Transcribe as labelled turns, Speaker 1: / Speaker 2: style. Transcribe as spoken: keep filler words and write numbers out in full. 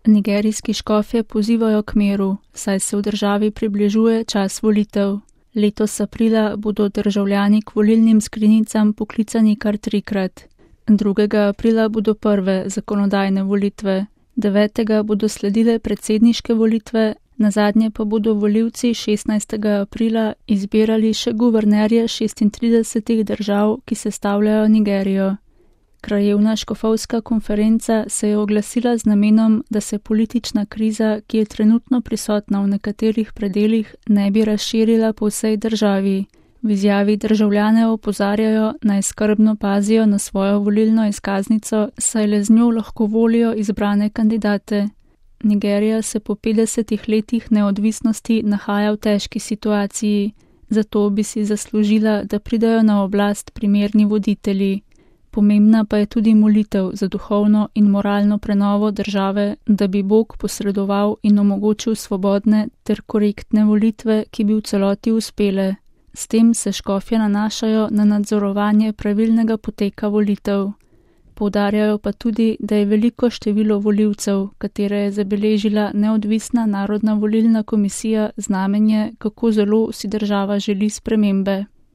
Speaker 1: Nigerijski škofje pozivajo k miru, saj se v državi približuje čas volitev. Letos aprila bodo državljani k volilnim skrinjicam poklicani kar trikrat. drugega aprila bodo prve zakonodajne volitve, devetega bodo sledile predsedniške volitve, nazadnje pa bodo volivci šestnajstega aprila izbirali še guvernerje šestintridesetih držav, ki sestavljajo Nigerijo. Krajevna škofovska konferenca se je oglasila z namenom, da se politična kriza, ki je trenutno prisotna v nekaterih predelih, ne bi razširila po vsej državi. V izjavi državljane opozarjajo, naj skrbno pazijo na svojo volilno izkaznico, saj le z njo lahko volijo izbrane kandidate. Nigerija se po petdesetih letih neodvisnosti nahaja v težki situaciji, zato bi si zaslužila, da pridejo na oblast primerni voditelji. Pomembna pa je tudi molitev za duhovno in moralno prenovo države, da bi Bog posredoval in omogočil svobodne ter korektne volitve, ki bi v celoti uspele. S tem se škofje nanašajo na nadzorovanje pravilnega poteka volitev. Poudarjajo pa tudi, da je veliko število volivcev, katere je zabeležila neodvisna narodna volilna komisija, znamenje, kako zelo si država želi spremembe.